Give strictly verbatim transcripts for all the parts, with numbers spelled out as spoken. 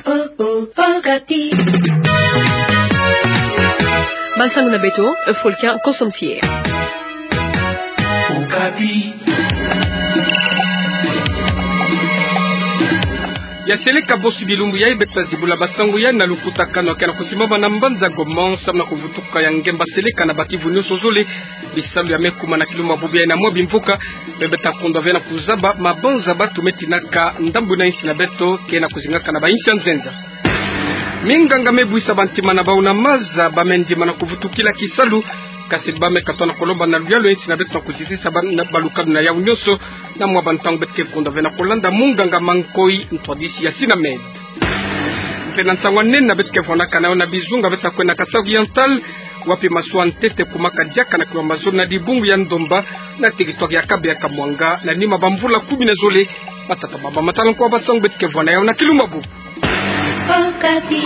Oh, oh, Okapi. Bansangu na beto, Africain Consommé Fier. Okapi. Ya seleka bosi bilumbu yai beto ta zibula basangu yai na lukutakanu ya kena kusimbama na mbanza Goma, samu na kuvutuka ya ngemba seleka na ba kivu nionso zole. Bisalu ya me kuma na kilumbu ya bubu yai na mwa bimvuka, me beto ta kundwa ve na kuzaba mabanza batu me tinaka ndambu na insi na beto, kena kuzingaka na ba insi ya nzenza. Minganga me buisa bantima na bau na maza, ba me ndima na kuvutukila kisalu, kasi ba me katoa na kolomba na luyalu ya insi na beto na kuzitisa ba, na balukanu na yau nionso, na mwa bantangu beto ke kundwa ve na kolanda munganga Mankoi, ntwadisi ya Sinamed. Mpe na nsangu ya nene beto ke vwanakana yo na bizunga beto ta kwenda Kasaï Oriental, wapi masuwa ntete kumaka diaka na kilomba zole na dibungu ya ndomba, na territoire ya Kabeya Kamwanga, na nima bamvula kumi na zole. Matata baba matala nko basangu beto ke vwana yau na kilumbu ya bubu. Okapi.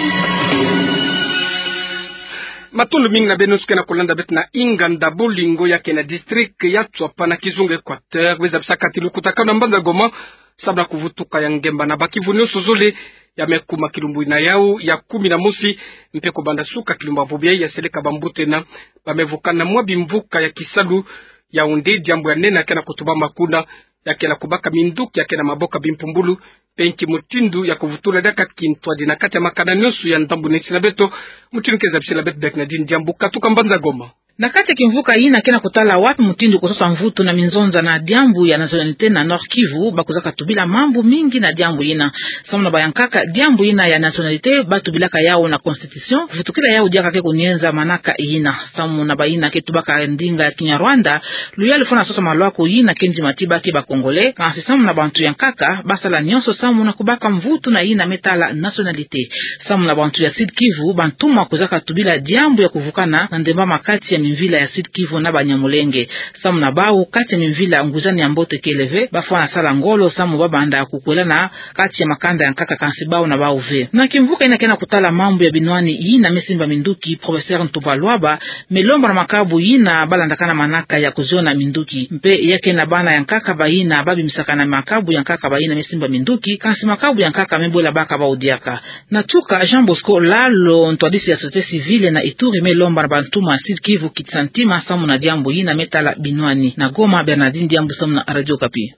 Matondo mingi na beno nsuki na kolanda beto na inganda Bolingo ya kena district ya Tswapa na kizunga Equateur, bwe zabisaka ti lukutakanu na mbanza Goma, samu na kuvutuka ya ngemba na ba kivu nionso zole, ya me kuma kilumbu na yau ya kumi na mosi, mpe kubanda suka kilumbu ya bubu yai ya seleka bambuta na ba me vukana na mwa bimvuka ya kisalu, ya onde diambu ya nene ya kena kutubama kuna, ya kena kubaka minduki ya kena maboka bimpumbulu, mpe nki mutindu ya kuvutula diaka kintwadi na kati ya makanda nionso ya ndambu na insi na beto. Mutindu ke zabisila beto Bernadine Diambu katuka mbanza Goma. Na kati ya kimvuka yina kena kutala wapi mutindu kusosa mvutu na minzonza na diambu ya nationalité na Nord-Kivu, ba kuzaka tubila mambu mingi na diambu yina. Samu na bayankaka, diambu yina ya nationalité ba tubilaka yau na constitution, vutukila yau diaka ke kunienza manaka yina. Samu na bayina ke tubaka ndinga ya Kinyarwanda, luyalu fwana sosa malwaku yina ke ndima ti ba ke ba Congolais, kansi samu na bantu ya nkaka, ba sala nionso samu na kubaka mvutu na yina me tala nationalité. Samu na bantu ya Sud-Kivu, bantumwa kuzaka tubila diambu ya kuvukana na ndembama kati ya mimvila ya Sud-Kivu na Banyamulenge. Samu na bau, kati ya mimvila nguzani ya mbote kele ve, ba fwana sala ngolo samu ba banda kukwelana kati ya makanda ya nkaka, kansi bau na bau ve. Na kimvuka yina kena kutala mambu ya binwani yina me simba minduki, professeur Ntumba Lwaba me lomba na makabu yina ba landakana manaka ya kuziona minduki. Mpe ya kena bana ya nkaka bayina ba bimisakana makabu ya nkaka bayina me simba minduki, kansi makabu ya nkaka me bwela baka bau diaka. Na tuka, Jean Bosco Lalo, ntwadisi ya société civile na Ituri, me lomba na bantumwa Sud-Kivu kitisa ntima samu na diambu yina me tala binwani. Na Goma, Bernadine Diambu samu na Radio Okapi.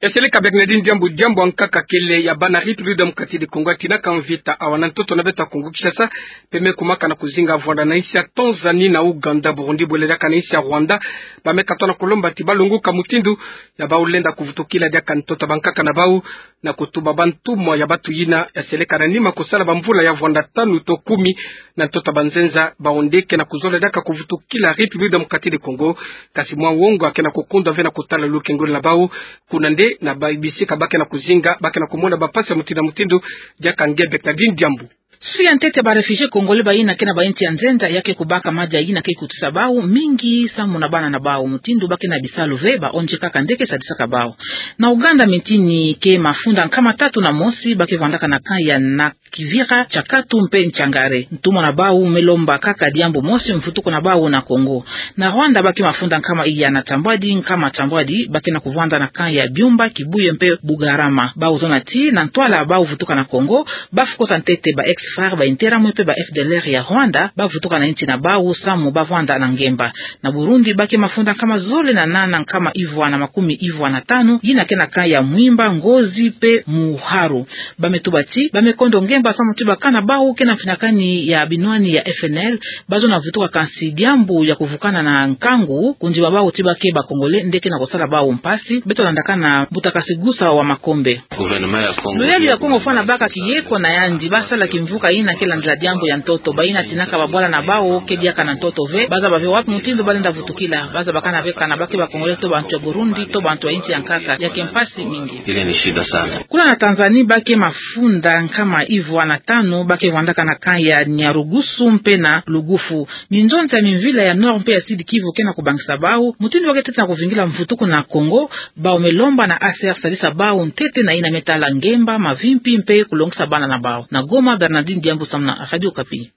Ya seleka Bernadine Diambu. Diambu ya nkaka kele ya bana République Démocratique du Congo ya tinaka mvita awa na ntoto na beto ya Kongo-Kinshasa, mpe me kumaka na kuzinga vwanda na insi ya Tanzanie, na Ouganda, Burundi, bwele diaka na insi ya Rwanda, ba me katoa na kolomba ti ba longoka mutindu ya bau lenda kuvutukila diaka ntoto ya bankaka na bau, na kutuba bantumwa ya batu yina ya seleka na nima kusala bamvula ya vwanda tanu to kumi na ntoto ya banzenza, bau nde kena kuzola diaka kuvutukila République Démocratique du Congo. Kansi mwa wongo ya kena kukundwa ve na kutala lukengolo na bau, kuna nde na ba bisika ba kena kuzinga, ba kena kumona bampasi ya mutindu na mutindu. Diaka nge Bernadine Diambu. Susi ya ntete ya ba réfugiés congolais bayina ke na ba insi ya nzenza ya ke kubaka madia yina ke kutisa bau mingi samu na bana na bau. Mutindu ba ke na bisalu ve, ba O N G kaka nde ke sadisaka bau. Na Ouganda, mintini ke mafunda nkama tatu na mosi ba ke vwandaka na camp ya Nakivira, Kyakatu mpe Kyangare. Ntumwa na bau me lomba kaka diambu mosi, mvutuko na bau na Congo. Na Rwanda ba ke mafunda nkama iya na tambwadi, nkama tambwadi, ba ke na kuvwanda na camp ya Byumba, Kibuye mpe Bugarama. Bau zona ti na ntwala bau vutuka na Congo, ba fukosa ntete ba ex-FARC, ba Interahamwe mpe ba F D L R ya Rwanda, ba vutuka na insi na bau samu ba vwanda na ngemba. Na Burundi ba ke mafunda nkama zole na nana, nkama ivwa na makumi ivwa na tanu, yina ke na camp ya Mwimba, Ngozi mpe Muharu. Ba me tuba ti ba me kondo ngemba samu ti bakana bau ke na mfinakani ya binwani ya F N L, ba zona vutuka, kansi diambu ya kuvukana na nkangu, kundima bau ti ba ke ba Congolais nde ke na kusala bau mpasi. Beto landaka na mbuta Kasigusa wa Makombe. Gouvernement ya Congo. Loyalo ya Congo fwana baka kiyeko na yandi, ba sala kimvuka yina ke landila diambu ya ntoto. Bayina tinaka babwala na bau ke diaka na ntoto ve, ba zaba ve wapi mutindu ba lenda vutukila. Ba zabakana ve kana ba ke ba Congolais to bantu ya Burundi to bantu ya insi ya nkaka, ya ke mpasi mingi. Ile ni shida sana. Kuna na Tanzanie ba ke mafunda nkama ivwa na tanu, ba ke vwandaka na camp ya Nyarugusu mpe na Lugufu. Minzonza ya mimvila ya Nord mpe ya Sud-Kivu ke na kubangisa bau mutindu ba ke tete na kuvingila mvutuko na Congo. Bau me lomba na A C R sadisa bau ntete na yina me tala ngemba, mavimpi mpe kulongisa bana na bau. Na Goma, Bernardine Diambu samu na Radio Okapi.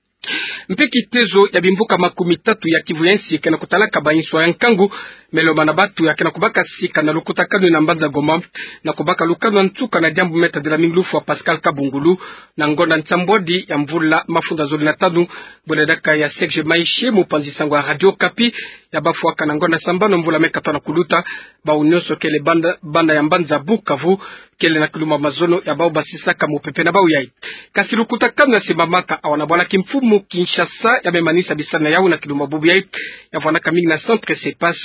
Mpe kitezo ya bimvuka makumi tatu ya Kivu ya Insi ke na kutalaka ba inswa ya nkangu, me lomana batu ya ke na kubaka sika na lukutakanu na mbanza Goma, na kubaka lukanu ya nsuka na diambu me tadila mingi lufwa Pascal Kabungulu, na ngonda nsambwadi ya mvula mafunda zole na tanu, bwela diaka ya Serge Maishe, mupanzi sango ya Radio Okapi, ya bafwaka na ngonda sambanu mvula me katwa na kuluta, bau nyonso kele banda, banda ya mbanza Bukavu, kele na kilumbu ya mazono ya bau basisaka mupepe na bau yai. Kasi lukutakanu ya simbamaka awa na bwala kimfumu Kinshasa ya me manisa bisalu na yau na kilumbu ya bubu yai, ya vwanaka mingi na Centre Cepas,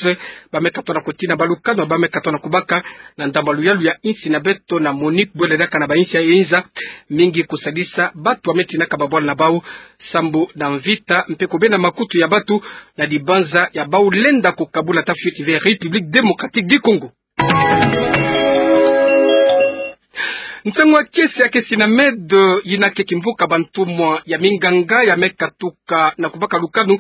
ba me katwa na kutina balukanu ba me katwa na kubaka, na ndambu ya luyalu ya insi na beto na MONUC bwela diaka na ba insi ya inza, mingi kusadisa batu ba me tinaka babwala na bau, sambu na mvita, mpe kubenda makutu ya batu, na dibanza ya bau lenda kukabula ta fioti ve République Démocratique du Congo. Ntangu ya kiese ya ke SYNAMED, yina ke kimvuka bantumwa ya minganga ya me katuka na kubaka lukanu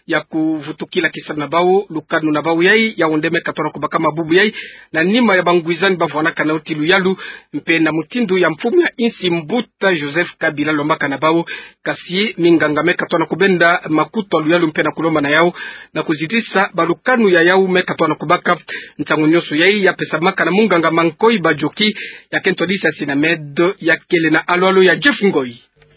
ya kuvutukila kisalu na bau, lukanu na bau yai, yau nde me katwa na kubakama bubu yai, na nima ya bangwizani ba vwanaka nao ti luyalu, mpe na mutindu ya mfumu ya insi mbuta Joseph Kabila lombaka na bau, kasi minganga me katwa na kubenda makutu ya luyalu mpe na kulomba na yau, na kuzitisa balukanu ya yau me katwa na kubaka. Ntangu nyonso yai ya pesamaka na munganga Mankoi Badjoki, ya ke ntwadisi ya SYNAMED, ya kele na alo-alo ya Jeff Ngoi.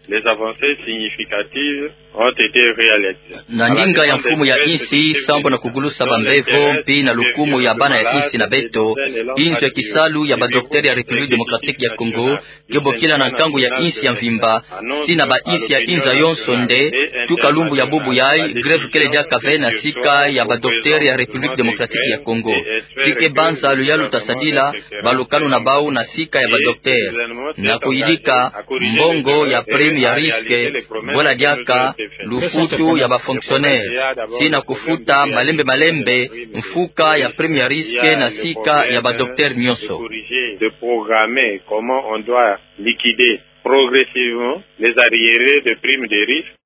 Les avancées significatives ont été réalisées. Na ndinga ya mfumu ya insi, sambu na kugulusa bambevo, mpe na lukumu ya bana ya insi na beto, inzo ya kisalu ya badoktere ya République Démocratique ya Congo, ke bokila na nkangu ya insi ya mvimba, si na ba insi ya inza yonso nde, tuka lumbu ya bubu yai, grève kele diaka ve na sika ya badoktere ya République Démocratique ya Congo. Si ke banza luyalu ta sadila balukanu na bau na sika ya badoktere, na kuyidika mbongo ya prime ya risque, bwela diaka lufutu ya bafonctionnaire, si na kufuta malembe malembe mfuka ya prime ya risque na sika ya badoktere nyonso. De programmer comment on doit liquider progressivement les arriérés de primes de risque.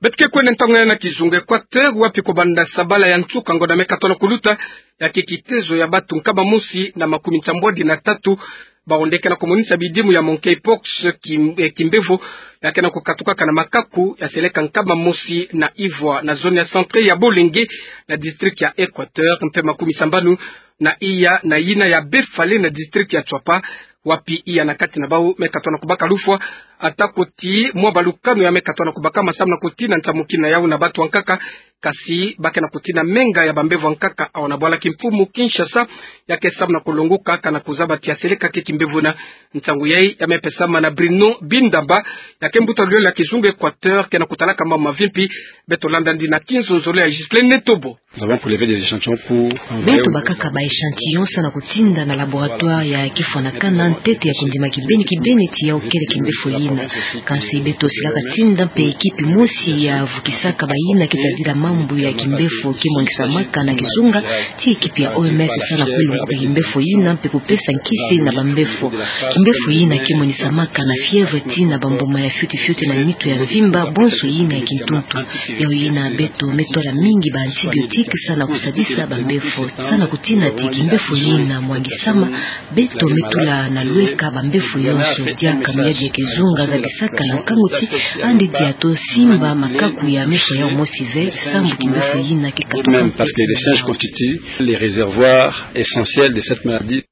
Beto ke kwenda ntangu yai na kizunga Équateur, wapi kubanda sabala ya nsuka ngonda me katwa na kuluta, ya ke kitezo ya batu nkama mosi na makumi nsambwadi na tatu, bau nde ke na kumonisa bidimu ya monkeypox, kim-, eh, kimbevo ya ke na kukatukaka na makaku, ya seleka nkama mosi na ivwa na zone ya Centre ya Bolenge, na district ya Équateur, mpe makumi sambanu na iya na yina ya Befale na district ya Tswapa, wapi iya na kati na bau me katwa na kubaka lufwa, ata ko ti mwa balukanu ya me katwa na kubakama sambu na kutina nsamukini na yau na batu ya nkaka, kasi ba ke na kutina menga ya bambevo ya nkaka awa na bwala kimfumu Kinshasa, ya ke sambu na kulonguka, kana kuzaba ti ya seleka ke kimbevo na. Nsangu yai ya me pesama na Bruno Bindamba, ya ke mbuta luyalu ya kizunga Équateur, ke na kutalaka mambu mavimpi. Beto landa ndi na kinzonzolo ya Ghislaine Netobo. Nous avons prélevé des échantillons pour envoyer au... Beto bakaka ba échantillon sa na kutinda na laboratoire ya kifwanakana ntete ya kundima kibeni kibeni ti yau kele kimbefo yina. Kansi beto silaka tinda mpe ekipi mosi ya vukisaka bayina ke tadila mambu ya kimbefo ke mwangisamaka na kizunga, ti ekipi ya O M S sa na kulunguka kimbefo yina mpe kupesa nkisi na bambefo. Kimbefo yina ke monisamaka na fièvre, tii na bambuma ya fioti fioti na nitu ya mvimba, bonso yina ya kintuntu. Yau yina beto me tola mingi ba antibiotique sa na kusadisa bambefo. Sa na kutina ti kimbefo yina mwangisama, beto me tula na lweka bambefo yonso. Diaka miadi ya kizunga zabisaka ya nkangu ti andi dia to simba makaku ya meso yau mosi ve, sambu kimbefo yina ke katuka. Même parce que les singes constituent les réservoirs essentiels de cette maladie.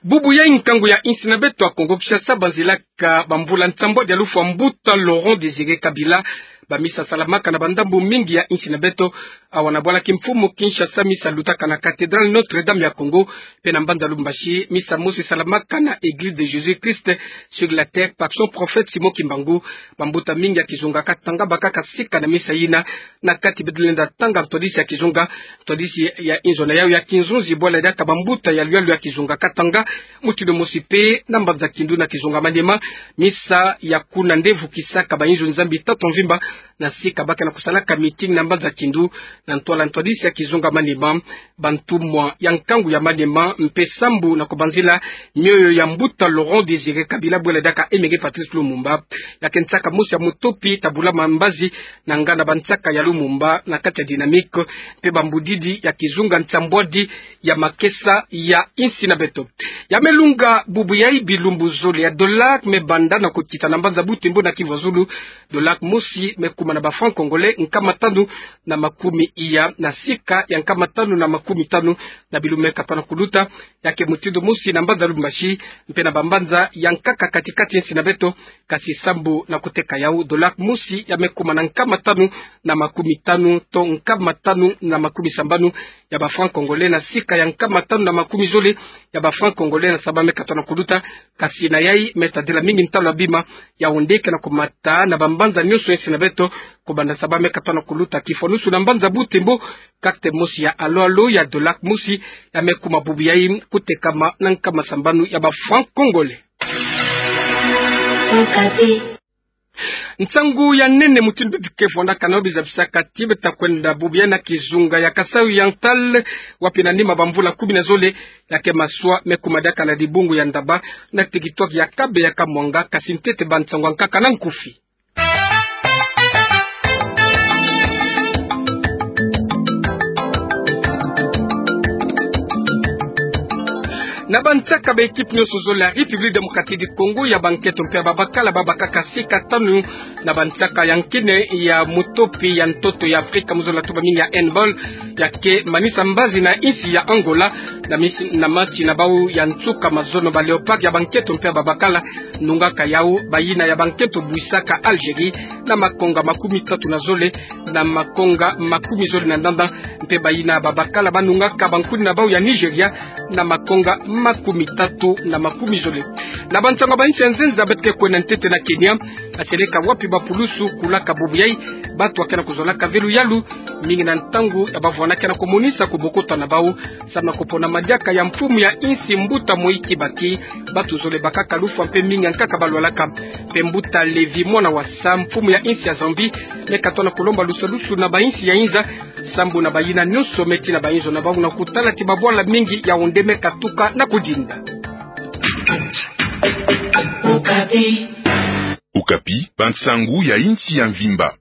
Bubu yai nkangu ya insi na beto ya Kongo Kinshasa banzilaka bamvula nsambwadi ya lufwa mbuta Laurent Désiré Kabila. Ba misa salamaka na bandambu mingi ya insi na beto. Awa na bwala kimfumu Kinshasa, misa lutaka na cathédrale Notre-Dame ya Congo, mpe na mbanza Lubumbashi misa mosi salamaka na Église de Jésus-Christ sur la terre par son prophète Simon Kimbangu. Bambuta mingi ya kizunga Katanga bakaka sika na misa yina. Na kati beto lenda tanga ntwadisi ya kizunga, ntwadisi ya inzo na yau ya kinzonzi, bwala diaka bambuta ya luyalu ya kizunga Katanga, mutindu mosi mpe na mbanza Kindu na kizunga Maniema. Misa ya kuna nde vukisaka ba inzo Nzambi tatu mvimba, na sika ba ke na kusalaka meeting na mbanza Kindu, na ntwala ntwadisi ya kizunga Maniema. Bantumwa ya nkangu ya Maniema mpe sambu na kubanzila mioyo ya mbuta Laurent Désiré Kabila, bwela diaka Emery Patrice Lumumba, ya ke nsaka mosi ya mutopi ta bulama mbazi na nganda bansaka ya Lumumba na kati ya Dynamique, mpe bambudidi ya kizunga nsambwadi ya makesa ya insi na beto. Ya me lunga bubu yai bilumbu zole ya dollar me banda na kukita na mbanza Butembo na Kivu ya Zulu. Dollar mosi me kuma na ba francs congolais nkama tanu na makumi iya na sika ya nkama tanu na makumi tanu na bilumbu me katona kuluta. Ya ke mutindu mosi na mbanza Lubumbashi mpe na bambanza ya nkaka kati-kati ya nsi na beto. Kasi sambu na kuteka yau, dollar mosi ya me kuma na nkama tanu na makumi tanu to nkama tanu na makumi sambanu ya ba francs congolais na sika ya nkama tanu na makumi zole ya ba francs congolais na saba me katona kuluta. Kasi na yai me tadila mingi ntalu ya bima. Yau nde ke na kumata na bambanza nyonso ya nsi na beto, kubanda saba me katona kuluta kifwanusu na mbanza Butembo. Carte mosi ya alo-alo ya dollar mosi ya me kuma bubu yai kutekama na nkama sambanu ya ba francs congolais. Nsangu ya nene mutindu beto ke vwandaka nao, biza bisaka ti beta kwenda bubu yai na kizunga ya Kasaï Oriental, wapi na nima bamvula kumi na zole, ya ke maswa me kuma diaka na dibungu ya Ndaba, na territoire ya Kabeya Kamwanga. Kasi ntete ba nsangu ya nkaka na nkufi. Na bansaka ba équipe nyonso zole ya République Démocratique du Congo, ya bankento mpe ya babakala, babakaka sika tanu na bansaka ya nkini ya mutopi ya ntoto ya Afrika mu zola tuba mingi ya handball, ya ke manisa mbazi na insi ya Angola na misi, na match na bau ya nsuka. Mazono ba Léopards ya bankento mpe ya babakala nungaka yau, bayina ya bankento bwisaka Algérie na makonga makumi tatu na zole na makonga makumi zole na ndanda. Mpe bayina babakala banungaka bankuni na bau ya Nigeria na makonga makumi tatu na makumi zole. Na bansangu ya ba insi ya nzenza, beto ke kwenda ntete na Kenya, na seleka wapi bapulusu kulaka bubu yai, bato ya ke na kuzolaka ve luyalu mingi na ntangu ya bavwanda ke na kumonisa kubokota na bau, samu na kupona madiaka ya mfumu ya insi mbuta Mwai Kibaki. Bato zole bakaka lufwa mpe mingi ya nkaka balwalaka. Mpe mbuta Lévi Mwana Wasa, mfumu ya insi ya Zambie, me katona kulomba lusadusu na ba insi ya inza, sambu na bayina nyonso me tina ba inzo na bau na kutala ti babwala mingi yau nde me katuka na kudinda. Okapi, bansangu ya insi ya mvimba.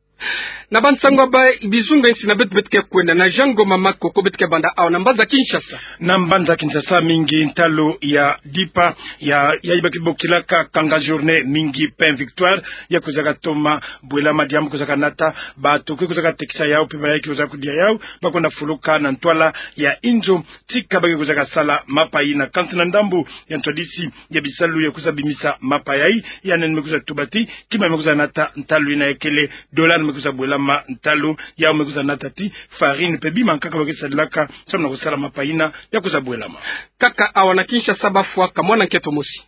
Na bansangu ya ba bizunga insi na beto, beto ke kwenda na Jean Ngoma Makoko, beto ke banda awa na mbanza Kinshasa. Na mbanza Kinshasa, mingi ntalu ya dipa ya, ya ba ke bokilaka kanga journée, mingi pain victoire, ya kwizaka toma bwelama, diambu kwizaka nata, bato ke kwizaka tekisa yau, mpe bayai ke kwizaka kudia yau, ba kwenda fuluka na ntwala ya inzo, tika ba ke kwizaka sala mapa yina. Kansi na ndambu ya ntwadisi ya bisalu ya kwiza bimisa mapa yai, ya nene me kwiza tuba ti kima me kwiza nata ntalu yina, ya kele dollar me kwiza bwelama ntalu, yau me kwiza nata ti farine mpe bima nkaka ba ke sadilaka samu na kusala mapa yina ya kwiza bwelama. Nkaka awa na Kinshasa bafwa ka mwana nkento mosi.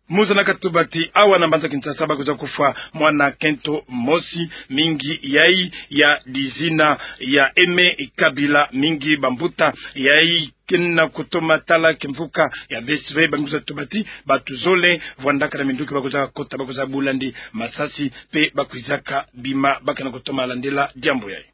Mu zana katuba ti awa na mbanza Kinshasa ba kwiza kufwa mwana nkento mosi, mingi yai ya dizina ya Aimé Kabila, mingi bambuta yai ke na kutoma tala kimvuka ya V S V, ba kwiza tuba ti bato zole vwandaka na minduki ba kwiza kota, ba kwiza bula ndi masasi, mpe ba kwizaka bima ba ke na kutoma landila diambu yai.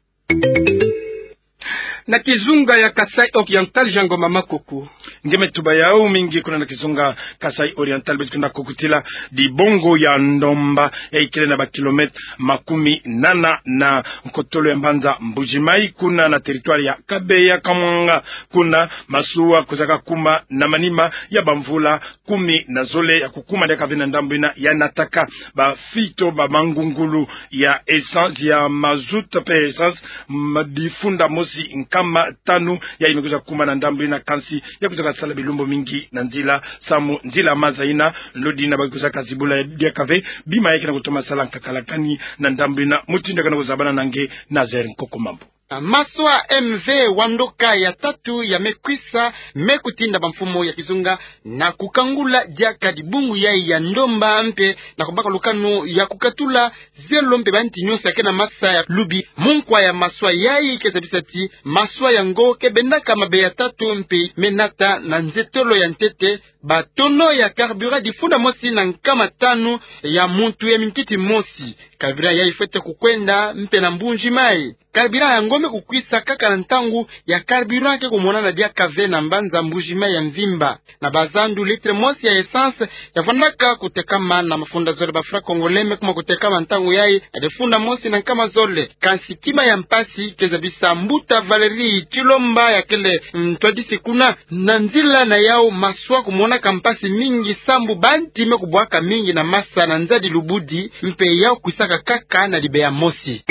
Na kizunga ya Kasaï Oriental, Jean Ngoma Makoko. Nge me tuba yau, mingi kuna na kizunga Kasaï Oriental, beto kwenda kukutila dibungu ya Ndomba, ya ikele na ba kilomètre makumi nana na nkotolo ya mbanza Mbuji-Mayi, kuna na territoire ya Kabeya Kamwanga. Kuna masuwa kwizaka kuma na manima ya bamvula kumi na zole ya kukuma diaka ve na ndambu yina, ya nataka bafi to bamangungulu ya essence, ya mazout mpe essence, ma-, difunda mosi nkama tanu, yai me kwiza kuma na ndambu yina, kansi ya kwizaka sala bilumbu mingi na nzila, samu nzila maza yina, lodi yina ba kwizaka zibula ya diaka ve, bima ya ke na kutoma sala nkakalakani na ndambu yina. Mutindu ya ke na kuzabana na nge, Nazaire Nkoko Mambu. Maswa M V Wandoka ya tatu ya me kwisa, me kutinda bamfumu ya kizunga na kukangula diaka dibungu yai ya Ndomba, mpe na kubaka lukanu ya kukatula zelo mpe banti nyonso ya ke na masa ya lubi. Mu nkwa ya maswa yai ke zabisa ti maswa yango ke bendaka mabe ya tatu, mpe me nata na nzetolo ya ntete. Ba tonneau ya carburant difunda mosi na nkama tanu ya muntu ya minkiti mosi. Carburant yayi fwete kukwenda mpe na Mbuji Mayi. Carburant yango me kukwisa kaka na ntangu ya carburant ke kumonana diaka ve na mbanza Mbuji Mayi ya mvimba. Na bazandu, litre mosi ya essence yavwandaka kutekama na mafunda zole ba francs congolais, me kuma kutekama ntangu yayi na difunda mosi na nkama zole. Kansi kima ya mpasi, ke zabisa mbuta Valérie Tshilomba ya kele ntwadisi kuna, na nzila na yawu maswa kumonaka mpasi mingi sambu banti me kubwaka mingi na masa na nzadi lubudi, mpe yawu kwisaka kaka na libeya mosi.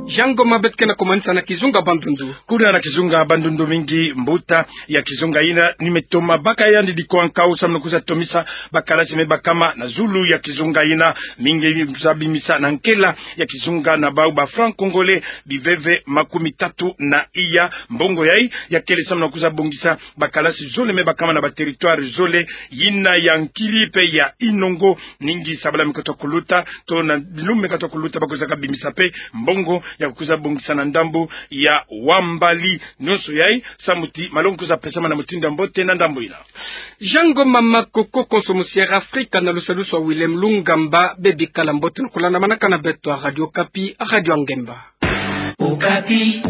Jean Ngoma, beto ke na kumanisa na kizunga Bandundu. Kuna na kizunga Bandundu mingi, mbuta ya kizunga yina ni me toma baka yandi diko ankau samu na kwiza tomisa bakalasi me bakama na zulu ya kizunga yina. Mingi kwiza bimisa na nkela ya kizunga na bawu ba francs congolais biveve makumi tatu na iya. Mbongo yayi ya kele samu na kwiza bongisa bakalasi zole me bakama na ba territoire zole, yina ya Nkili mpe ya Inongo. Ningi sabala me kota kuluta, to na bilumbu me kota kuluta, bakwizaka bimisa mpe mbongo ya kwiza bongisa na ndambu ya Wambali. Nyonso yayi samu ti malongi kwiza pesama na mutindu ya mbote na ndambu yina. Jean Ngoma, mama koko konso musi Air Afrika na lusalusu ya Willem Lungamba, bebikala mbote na kulandamanaka na beto. Radio Okapi, radio ya ngemba. Okapi.